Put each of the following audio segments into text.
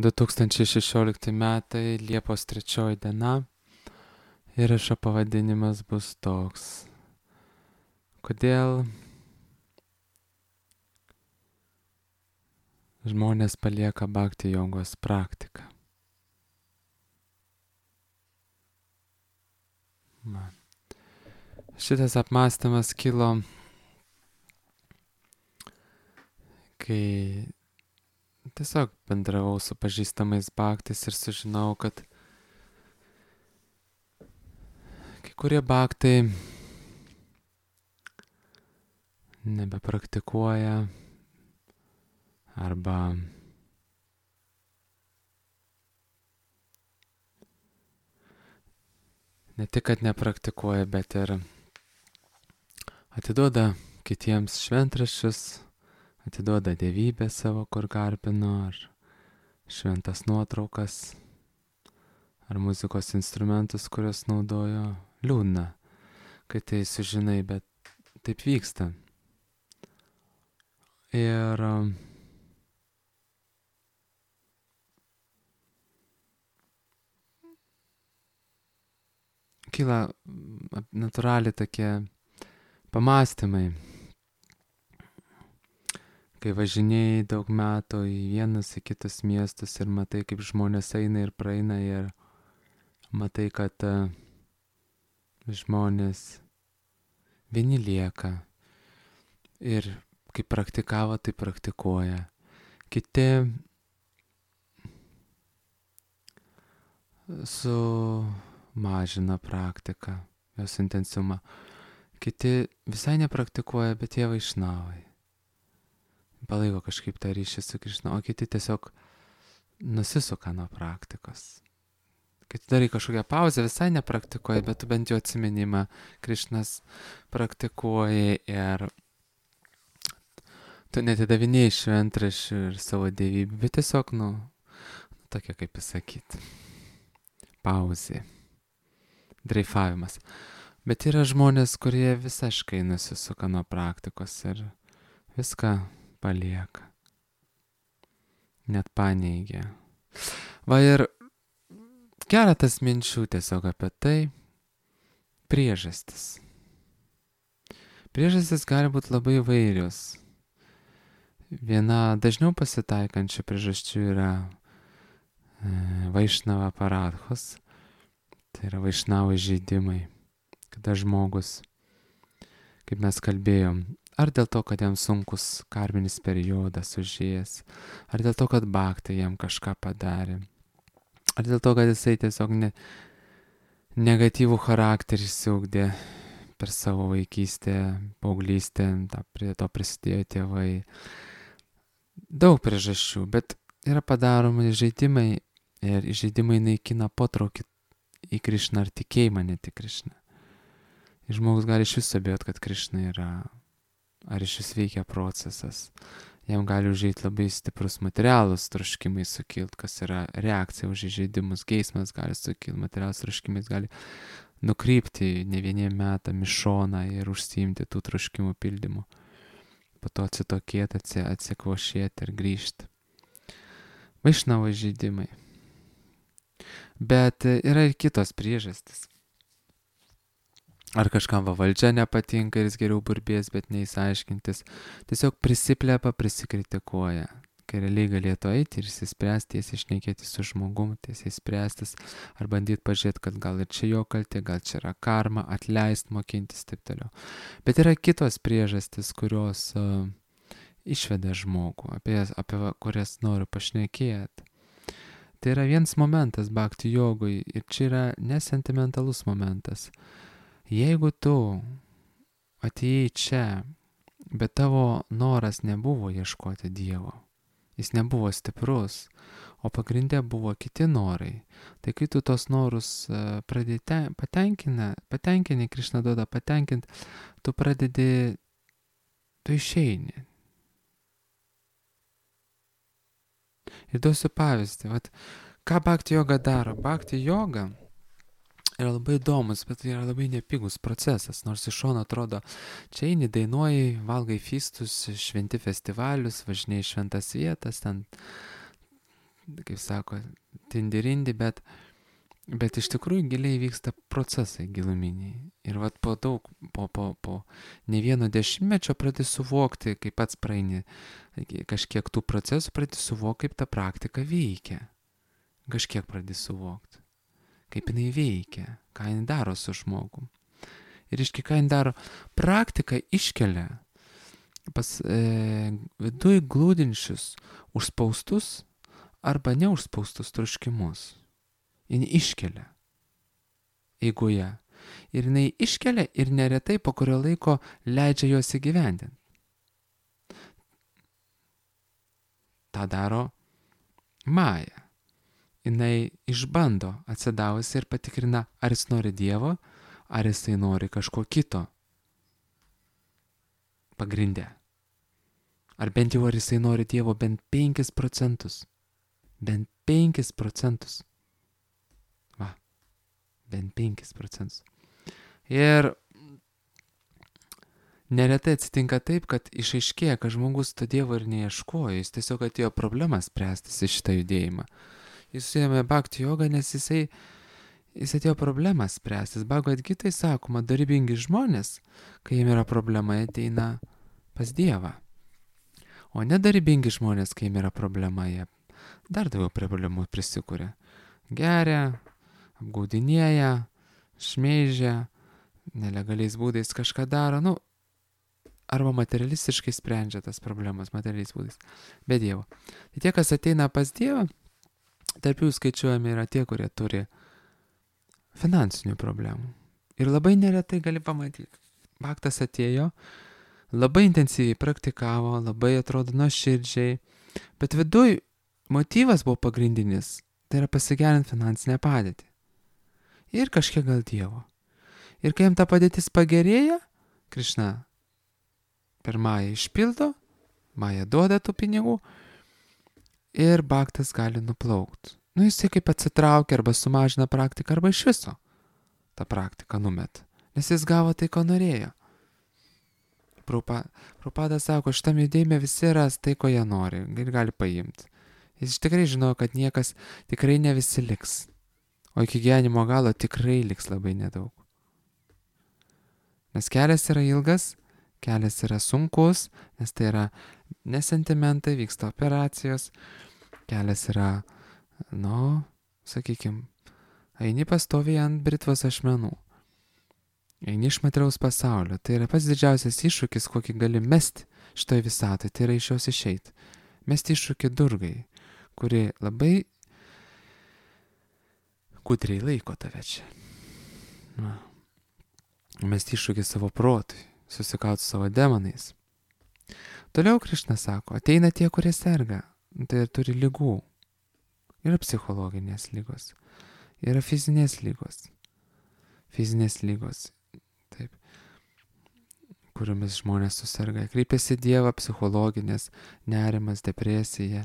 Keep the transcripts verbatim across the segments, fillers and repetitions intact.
du tūkstančiai šešiolikti metai, Liepos trečioji diena. Įrašo pavadinimas bus toks. Kodėl žmonės palieka bhakti jogos praktiką? Man. Šitas apmąstymas kilo, kai tiesiog bendravau su pažįstamais bhaktais ir sužinau, kad kai kurie bhaktai nebepraktikuoja arba ne tik, kad nepraktikuoja, bet ir atiduoda kitiems šventraščius, atiduoda dievybę savo, kur garbino, ar šventas nuotraukas, ar muzikos instrumentus, kuriuos naudojo. Liūdna, kai tai sužinai, bet taip vyksta. Ir kyla natūraliai tokie pamąstymai, kai važinėjai daug metų į vienus, į kitus miestus ir matai, kaip žmonės eina ir praeina, ir matai, kad uh, žmonės vieni lieka ir kaip praktikavo, tai praktikuoja. Kiti sumažina praktiką, jos intensyvumą. Kiti visai nepraktikuoja, bet jie vaišnavai. Palaiko kažkaip tą ryšį su Krišna, o kiti tiesiog nusisuka nuo praktikos. Kai tu darai kažkokią pauzę, visai nepraktikuoji, bet tu bent jau atsiminimą Krišnas praktikuoji ir tu netidavinėjai šventraščių ir savo dievybę, bet tiesiog, nu, tokia kaip pasakyti, pauzė, dreifavimas. Bet yra žmonės, kurie visiškai nusisuka nuo praktikos ir viską palieka, net paneigia. Va ir keletas minčių tiesiog apie tai, priežastis. Priežastis gali būti labai įvairios. Viena dažniau pasitaikančių priežasčių yra e, vaišnava paradhos, tai yra vaišnavo žaidimai, kada žmogus, kaip mes kalbėjom, ar dėl to, kad jam sunkus karminis periodas užėjęs, ar dėl to, kad bhaktai jam kažką padarė, ar dėl to, kad jisai tiesiog ne, negatyvų charakterį išsiugdė per savo vaikystę, paauglystę, ta, prie to prisidėjo tėvai. Daug priežasčių, bet yra padaromi žaidimai ir žaidimai naikina potraukį į Krišną ar tikėjimą net į Krišną. Ir žmogus gali iš viso abejoti, kad Krišna yra, ar iš vis veikia procesas. Jam gali užeiti labai stiprus materialus troškimai sukilt, kas yra reakcija už žaidimus, geismas gali sukilt, materialus troškimais gali nukrypti ne vieniem metam į šoną ir užsiimti tų troškimų pildymu. Po to atsitokėti, atsikvošėti ir grįžti. Vaišnavo žaidimai. Bet yra ir kitos priežastis. Ar kažkam va valdžia nepatinka ir jis geriau burbės, bet neįsiaiškintis. Tiesiog prisiplepa, prisikritikuoja. Kai realiai galėtų eiti ir įsispręsti, tiesiai šnekėti su žmogum, tiesiai spręstis, ar bandyti pažiūrėti, kad gal ir čia jo kaltė, gal čia yra karma, atleist, mokintis, taip toliau. Bet yra kitos priežastis, kurios uh, išveda žmogų, apie, apie kurias noriu pašnekėti. Tai yra vienas momentas bhakti jogui ir čia yra nesentimentalus momentas. Jeigu tu atėjai čia, bet tavo noras nebuvo ieškoti Dievo, jis nebuvo stiprus, o pagrindė buvo kiti norai, tai kai tu tos norus pradedi patenkina, patenkini, Krišna duoda patenkinti, tu pradedi, tu išeini. Ir duosiu pavyzdį, vat, ką bhakti joga daro? Bhakti joga yra labai įdomus, bet tai yra labai nepigus procesas, nors iš šono atrodo, čia eini, dainuoji, valgai fistus, šventi festivalius, važinėjai šventas vietas, ten kaip sako, tindirindi, bet, bet iš tikrųjų giliai vyksta procesai giluminiai. Ir vat po daug, po, po, po ne vieno dešimtmečio pradedi suvokti, kaip pats praeini kažkiek tų procesų, pradedi suvokti, kaip ta praktika veikia. Kažkiek pradedi suvokti, kaip jinai veikia, ką jinai daro su žmogum. Ir iški, ką jinai daro, praktika iškelia pas e, viduj glūdinčius užspaustus arba neužspaustus troškimus. Jis iškelia eigoje. Ir jinai iškelia ir neretai po kurio laiko leidžia juos įgyvendinti. Ta daro Maja. Jinai išbando atsidavusi ir patikrina, ar jis nori Dievo, ar jisai nori kažko kito pagrinde. Ar bent jau ar jisai nori Dievo bent penkis procentus. Bent penkis procentus. Va, bent penkis procentus. Ir neretai atsitinka taip, kad išaiškėja, kad žmogus to Dievo ir neieškojo, jis tiesiog atėjo problemas spręstis į šitą judėjimą. Jis suėmė bhakti jogą, nes jisai, jis atėjo problemas spręstis. Bhagavad Gitai sakoma, dorybingi žmonės, kai jiem yra problema, ateina pas Dievą. O nedorybingi žmonės, kai jiem yra problema, jie dar daugiau problemų prisikūrė. Geria, apgaudinėja, šmeižia, nelegaliais būdais kažką daro, nu, arba materialistiškai sprendžia tas problemas, materialiais būdais, be Dievo. Tai tie, kas ateina pas Dievą, tarp jų skaičiuojami yra tie, kurie turi finansinių problemų. Ir labai neretai gali pamatyti. Bhaktas atėjo, labai intensyviai praktikavo, labai atrodo nuoširdžiai, bet viduj motyvas buvo pagrindinis, tai yra pasigerinti finansinę padėtį. Ir kažkiek gal Dievo. Ir kai jam ta padėtis pagerėja, Krišna per Mają išpildo, Maja duoda tų pinigų ir bhaktas gali nuplaukti. Nu jisai kaip atsitraukia arba sumažina praktiką arba iš viso tą praktiką numet, nes jis gavo tai, ko norėjo. Prabhupada sako, šitam judėjime visi ras tai, ko jie nori ir gali paimti. Jis tikrai žino, kad niekas, tikrai ne visi liks, o iki gyvenimo galo tikrai liks labai nedaug. Nes kelias yra ilgas, kelias yra sunkus, nes tai yra nesentimentai, vyksta operacijos, kelias yra, nu, sakykime, eini pastoviai ant britvos ašmenų, eini iš materiaus pasaulio, tai yra pats didžiausias iššūkis, kokį gali mesti šitoj visatai, tai yra iš jos išeiti. Mesti iššūkį Durgai, kuri labai gudriai laiko tave čia. Na. Mesti iššūkį savo protui, susikauti savo demonais. Toliau Krišna sako, ateina tie, kurie serga, tai turi ligų. Yra psichologinės lygos, yra fizinės lygos. Fizinės lygos, taip, kuriomis žmonės susirga. Kreipiasi Dievą, psichologinės, nerimas, depresija,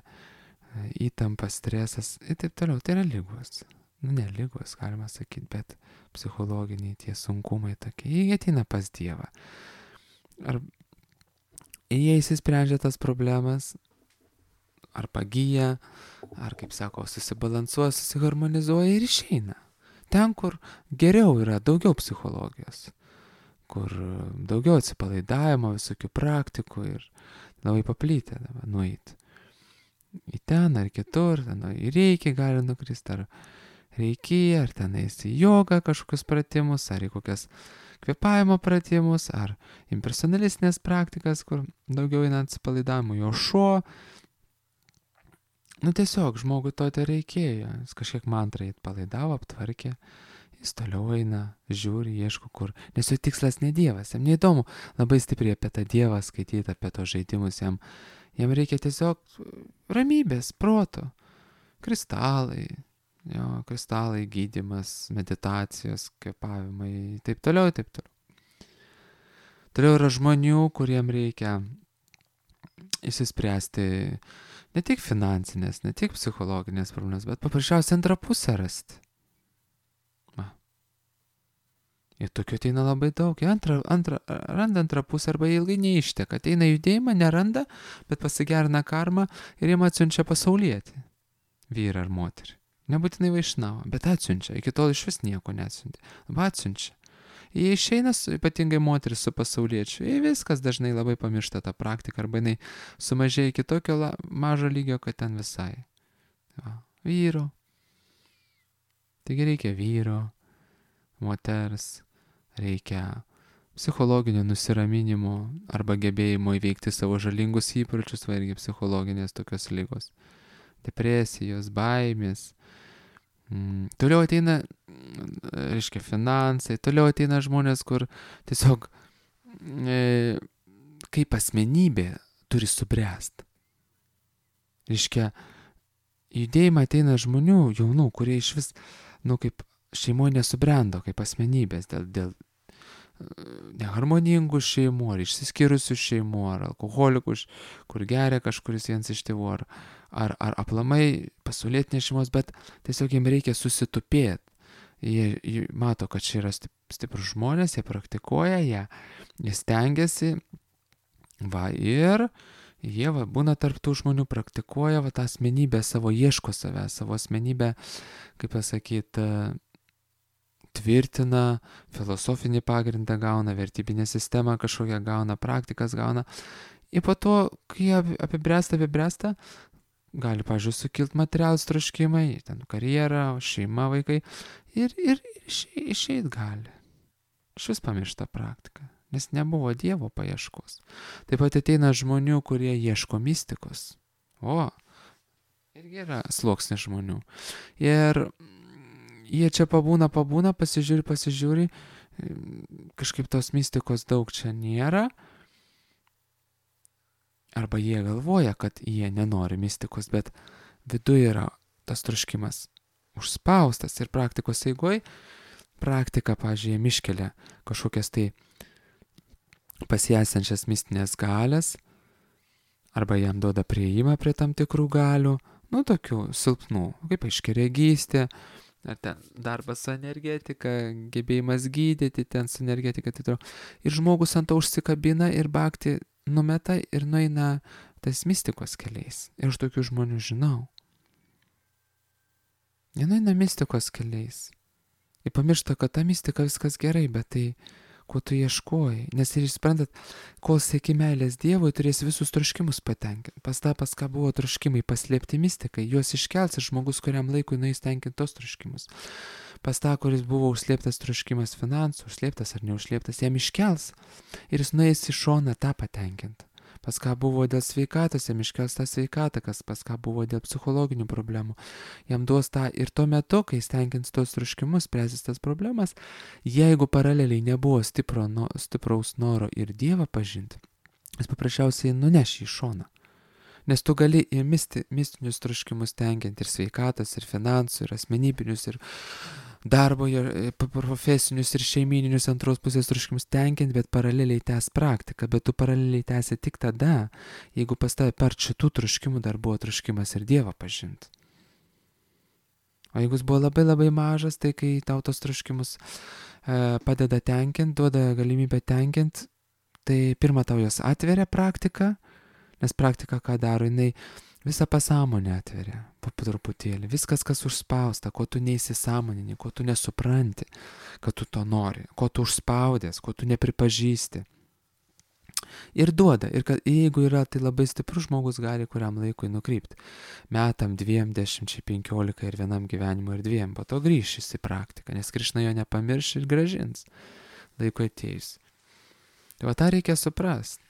įtampa, stresas ir taip toliau. Tai yra lygos. Nu, ne lygos, galima sakyti, bet psichologiniai tie sunkumai tokie. Jie ateina pas Dievą. Ar jie įsisprendžia tas problemas, ar pagyja, ar, kaip sako, susibalansuoja, susiharmonizuoja ir išeina. Ten, kur geriau yra daugiau psichologijos, kur daugiau atsipalaidavimo, visokių praktikų ir labai paplytę nueiti. Į ten ar kitur, ten į reikį gali nukristi, ar reikį, ar tenais į jogą kažkokius pratimus, ar į kokias kvėpavimo pratimus, ar impersonalistinės praktikas, kur daugiau eina atsipalaidavimo, jo šuo. Nu tiesiog žmogui to tai reikėjo, jis kažkiek mantrą atpalaidavo, aptvarkė, jis toliau eina, žiūri, ieško kur, nes jo tikslas ne Dievas, jam neįdomu labai stipriai apie tą Dievą skaityti, apie tos žaidimus, jam, jam reikia tiesiog ramybės, proto, kristalai, jo, kristalai, gydymas, meditacijos, kvėpavimai, taip toliau, taip toliau. Toliau yra žmonių, kuriem reikia išsispręsti ne tik finansinės, ne tik psichologinės problemas, bet paprasčiausiai antrą pusę rasti. Va. Ir tokių ateina labai daug. Jie antrą, antrą, randa antrą pusę arba ilgai neišteka. Ateina judėjimą, neranda, bet pasigerina karmą ir jiem atsiunčia pasaulietį. vyrą ar moterį. Nebūtinai vaišnavą, bet atsiunčia. Iki tol iš vis nieko neatsiuntė. Labai atsiunčia. Jie išeina, su, ypatingai moteris su pasauliečiu, jie viskas dažnai labai pamiršta tą praktiką, arba jinai sumažėja iki tokio la, mažo lygio, kad ten visai. Va, vyro. Taigi reikia vyro, moters, reikia psichologinio nusiraminimo arba gebėjimo įveikti savo žalingus įpročius, va irgi psichologinės tokios ligos. Depresijos, baimės. Mm, toliau ateina, reiškia, finansai, toliau ateina žmonės, kur tiesiog e, kaip asmenybė turi subręsti. Reiškia, judėjimą ateina žmonių, jaunų, kurie iš vis, nu, kaip šeimoje nesubrendo, kaip asmenybės, dėl, dėl neharmoningų šeimų, ar išsiskyrusių šeimų, ar alkoholikų, kur geria kažkuris vienas iš tėvų, ar, ar, ar aplamai pasaulietinės šeimos, bet tiesiog jiems reikia susitupėti. Jie, jie mato, kad čia yra stiprus žmonės, jie praktikuoja, jie, jie stengiasi, va, ir jie va, būna tarp tų žmonių, praktikuoja va, tą asmenybę savo, ieško save, savo asmenybę, kaip pasakyti, tvirtina, filosofinį pagrindą gauna, vertybinę sistemą kažkokią gauna, praktikas gauna. Ir po to, kai apibręsta, apibręsta, gali, pavyzdžiui, sukilti materialūs troškimai, ten karjera, šeima, vaikai, ir, ir išeit gali. Iš vis pamiršta praktika, nes nebuvo Dievo paieškos. Taip pat ateina žmonių, kurie ieško mistikos. O, irgi yra sluoksnis žmonių. Ir jie čia pabūna, pabūna, pasižiūri, pasižiūri, kažkaip tos mistikos daug čia nėra. Arba jie galvoja, kad jie nenori mistikos, bet viduje yra tas troškimas užspaustas ir praktikos eigoj. Praktika, pavyzdžiui, jiem iškelia kažkokias tai pasiesančias mistinės galės, arba jam duoda prieimą prie tam tikrų galių, nu tokių silpnų, kaip aiškiaregystė, ar ten darbas su energetika, gebėjimas gydyti ten su energetika, tai toliau. Ir žmogus ant to užsikabina ir bhakti numeta ir nueina tais mistikos keliais. Ir aš tokių žmonių žinau. Jie nueina mistikos keliais. Ir pamiršta, kad ta mistika viskas gerai, bet tai, ko tu ieškoji. Nes ir suprantat, kol sieki meilės Dievui, turės visus troškimus patenkinti. Pas tą, pas ką buvo troškimai paslėpti mistikai, juos iškels ir žmogus kuriam laikui nueis tenkinti tos troškimus. Pas tą, kuris buvo užslėptas troškimas finansų, užslėptas ar neužslėptas, jam iškels ir jis nueis į šoną tą patenkinti. Pas ką buvo dėl sveikatos, jam iškels tą sveikatą, kas pas ką buvo dėl psichologinių problemų. Jam duos tą ir tuo metu, kai jis tenkins tos troškimus, spręsis tas problemas, jeigu paraleliai nebuvo stipro, no, stipraus noro ir Dievą pažinti, jis paprasčiausiai nuneš į šoną. Nes tu gali ir misti, mistinius troškimus tenkinti ir sveikatos, ir finansų, ir asmenybinius, ir darbo, ir profesinius, ir šeimyninius antros pusės troškimus tenkinti, bet paraleliai tęs praktiką. Bet tu paraleliai tęsi tik tada, jeigu pas tave per šitų troškimų dar buvo troškimas ir Dievą pažinti. O jeigu jis buvo labai labai mažas, tai kai tau tos troškimus e, padeda tenkinti, duoda galimybę tenkinti, tai pirmą tau jos atveria praktiką, nes praktika ką daro, jinai visą pasąmonę atveria, po truputėlį. Viskas, kas užspausta, ko tu neįsisąmonini, ko tu nesupranti, kad tu to nori, ko tu užspaudės, ko tu nepripažįsti. Ir duoda. Ir kad jeigu yra, tai labai stiprus žmogus gali kuriam laikui nukrypti. Metam, dviem, dešimčiai, penkiolika ir vienam gyvenimui ir dviem. Po to grįšis į praktiką, nes Krišna jo nepamirš ir gražins laikui atėjus. Tai va tą reikia suprasti.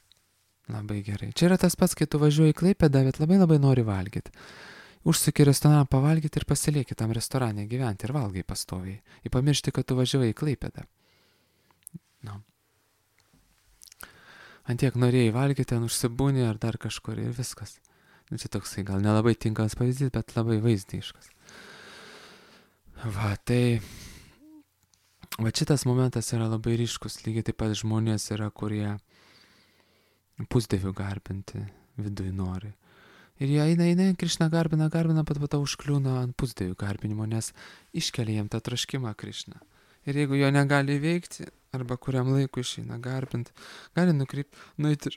Labai gerai. Čia yra tas pats, kai tu važiuoji į Klaipėdą, bet labai labai nori valgyti. Užsuki restoraną pavalgyti ir pasilieki tam restorane gyventi ir valgai pastoviai. Ir pamiršti, kad tu važiuoji į Klaipėdą. No. Antiek norėjai valgyti, ten užsibūni ar dar kažkur ir viskas. Nu, čia toksai gal nelabai tinkamas pavyzdys, bet labai vaizdiškas. Va, tai... Va šitas momentas yra labai ryškus. Lygiai taip pat žmonės yra, kurie pusdievių garbinti viduje nori. Ir jie eina, eina, Krišna garbina, garbina, pat pat užkliūna ant pusdievių garbinimo, nes iškelia jiem tą troškimą Krišna. Ir jeigu jo negali veikti, arba kuriam laikui išeina garbinti, gali nukrypti, nueiti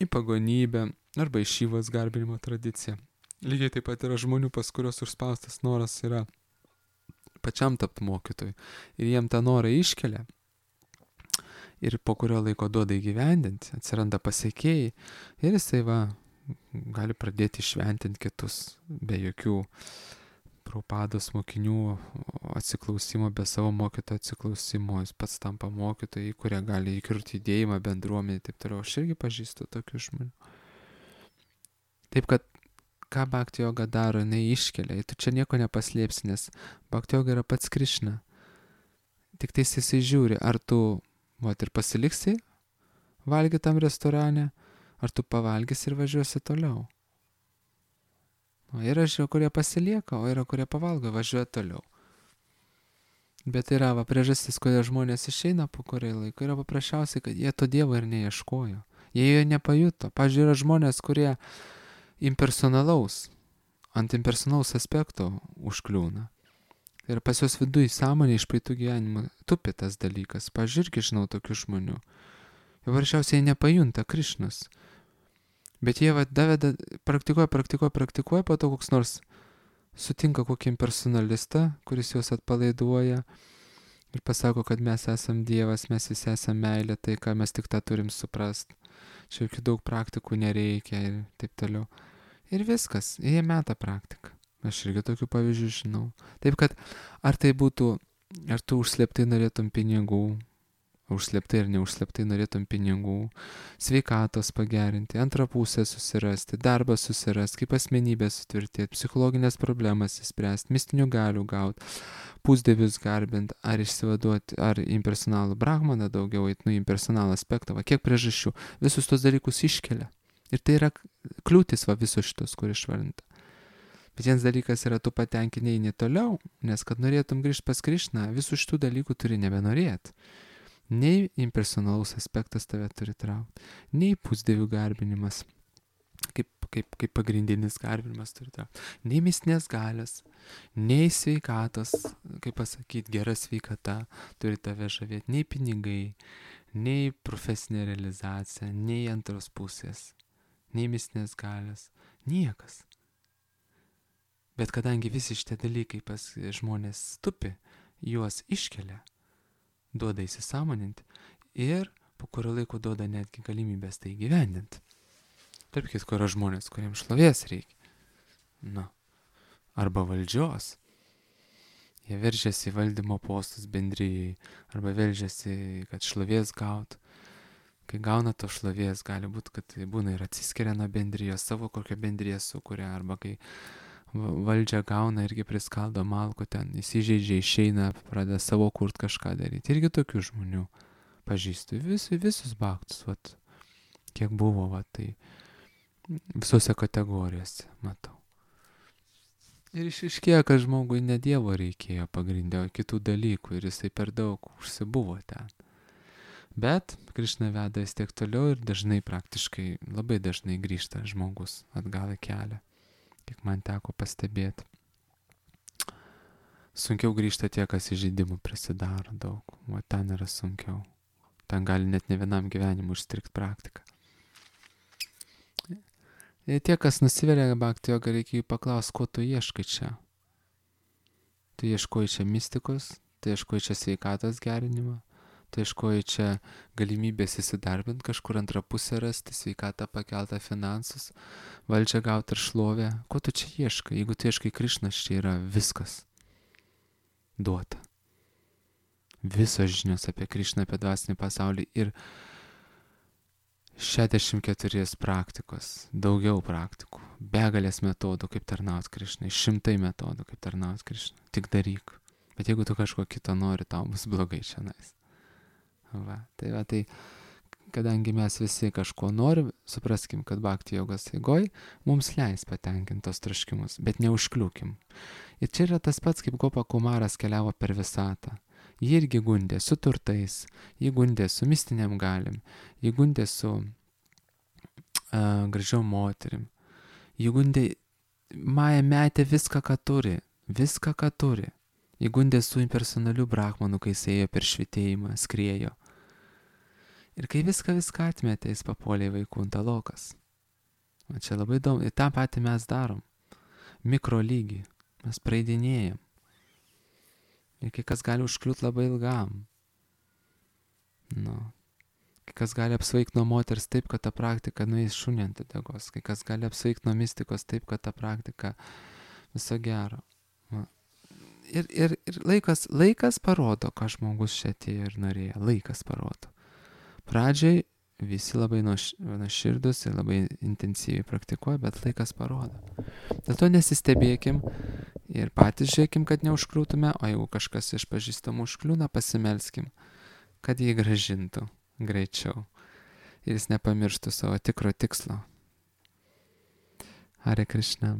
į pagonybę, arba į Šivos garbinimo tradiciją. Lygiai taip pat yra žmonių, pas kurios užspaustas noras yra pačiam tapti mokytojui. Ir jiem tą norą iškelia. Ir po kurio laiko duoda įgyvendinti, atsiranda pasiekėjai. Ir jisai va, gali pradėti šventinti kitus be jokių Prabhupados mokinių atsiklausimo, be savo mokytojo atsiklausimo. Jis pats tampa mokytojai, kurie gali įkurti judėjimą, bendruomenį ir taip toliau. Aš irgi pažįstu tokių žmonių. Taip kad, ką Bhakti Yoga daro, jinai iškelia. Tu čia nieko nepaslėpsi, nes Bhakti Yoga yra pats Krišna. Tik tai jisai žiūri, ar tu, vat, ir pasiliksi valgyti tam restorane, ar tu pavalgysi ir važiuosi toliau. O yra žiūrėjau, kurie pasilieka, o yra kurie pavalgo, važiuoja toliau. Bet yra va, priežastis, kodėl žmonės išeina po kurio laiko, yra paprasčiausiai, kad jie to Dievo ir neieškojo. Jie jo nepajuto. Pavyzdžiui, yra žmonės, kurie impersonalaus, ant impersonalaus aspekto užkliūna. Ir pas jos viduj sąmonė iš praeitų gyvenimų tupi tas dalykas. Pavyzdžiui, irgi žinau tokių žmonių. Jie paprasčiausiai nepajunta Krišnos. Bet jie va, daveda, praktikuoja, praktikuoja, praktikuoja, po to koks nors sutinka kokį impersonalistą, kuris juos atpalaiduoja ir pasako, kad mes esam Dievas, mes visi esam meilė, tai ką mes tik tą turim suprast. Čia jokių daug praktikų nereikia ir taip toliau. Ir viskas, jie meta praktiką. Aš irgi tokių pavyzdžių žinau. Taip kad, ar tai būtų, ar tu užslėptai norėtum pinigų, užslėptai ir neužslėptai norėtum pinigų, sveikatos pagerinti, antrą pusę susirasti, darbą susirasti, kaip asmenybę sutvirtėti, psichologinės problemas įspręsti, mistinių galių gauti, pusdievius garbinti, ar išsivaduoti, ar impersonalų brahmaną daugiau eit, nu impersonalų aspektą, va kiek priežasčių, visus tos dalykus iškelia. Ir tai yra kliūtis va visos šitos, kur išvardinta. Bet vienas dalykas yra, tu patenkinai eini toliau, nes kad norėtum grįžti pas Krišną, visų šitų dalykų turi nebenorėti. Nei impersonalus aspektas tave turi traukti, nei pusdievių garbinimas, kaip, kaip, kaip pagrindinis garbinimas turi traukti, nei mistinės galios, nei sveikatos, kaip pasakyti, gera sveikata turi tave žavėti, nei pinigai, nei profesinė realizacija, nei antros pusės, nei mistinės galios, niekas. Bet kadangi visi šitie dalykai pas žmonės stupi, juos iškelia, duoda įsisąmoninti ir po kurio laiko duoda netgi galimybės tai įgyvendinti. Tarp kitko yra žmonės, kuriems šlovės reikia. Na, arba valdžios. Jie veržiasi į valdymo postus bendrijai, arba veržiasi, kad šlovės gautų. Kai gauna to šlovės, gali būti, kad tai būna ir atsiskiria nuo bendrijos, savo kokią bendriją sukuria, arba kai valdžią gauna irgi priskaldo malku ten, įsižeidžia, išeina, pradeda savo kurt kažką daryti. Irgi tokių žmonių pažįstu. Vis, visus baktus, vat, kiek buvo, vat, tai visose kategorijose matau. Ir išiškėjo, kad žmogui ne Dievo reikėjo pagrindė, o kitų dalykų ir jisai per daug užsibuvo ten. Bet Krišna veda vis tiek toliau ir dažnai, praktiškai, labai dažnai grįžta žmogus atgal į kelią. Kiek man teko pastebėti. Sunkiau grįžta tie, kas įžeidimų prisidaro daug. O ten yra sunkiau. Ten gali net ne vienam gyvenimui užstrikti praktiką. Ir tie, kas nusivelia Bhakti Yoga, reikia jų paklausti, ko tu ieškai čia. Tu ieškoji čia mistikos, tu ieškoji čia sveikatos gerinimą, tu ieškoji čia galimybės įsidarbinti, kažkur antrą pusę rasti, sveikatą pakeltą, finansus, valdžią gauti ir šlovę. Ko tu čia ieškai? Jeigu tu ieškai Krišnos, čia yra viskas duota. Visos žinios apie Krišną, apie dvasinį pasaulį ir šešiasdešimt keturios praktikos, daugiau praktikų, begalės metodų, kaip tarnauti Krišnai, šimtai metodų, kaip tarnauti Krišnai. Tik daryk. Bet jeigu tu kažko kito nori, tau bus blogai šiandien. Va, tai va, tai kadangi mes visi kažko norim, supraskim, kad Bhakti Jogos eigoj mums leis patenkinti tos troškimus, bet neužkliūkim. Ir čia yra tas pats, kaip Gopa Kumaras keliavo per visatą. Jį irgi gundė su turtais, jį gundė su mistiniam galim, jį gundė su uh, gražiom moterim, jį gundė, Maja metė viską, ką turi, viską, ką turi. Jį gundė su impersonaliu brahmanu, kai jis ėjo per švitėjimą, skriejo. Ir kai viską viską atmetė, jis papuolė į vaikų antalokas. O čia labai įdomu. Ir tą patį mes darom. mikro lygį. Mes praeidinėjam. Ir kai kas gali užkliūti labai ilgam. Nu. Kai kas gali apsvaigti nuo moters taip, kad ta praktika nueis šunį ant uodegos. Kai kas gali apsvaigti nuo mistikos taip, kad ta praktika viso gero. Va. Ir, ir, ir laikas, laikas parodo, ką žmogus čia atėjo ir norėjo. Laikas parodo. Pradžiai visi labai nuoširdus ir labai intensyviai praktikuoja, bet laikas parodo. Dėl to nesistebėkim ir patys žiūrėkim, kad neužkliūtume, o jeigu kažkas iš pažįstamų užkliūna, pasimelskim, kad jį gražintų greičiau ir jis nepamirštų savo tikro tikslo. Hare Krishna.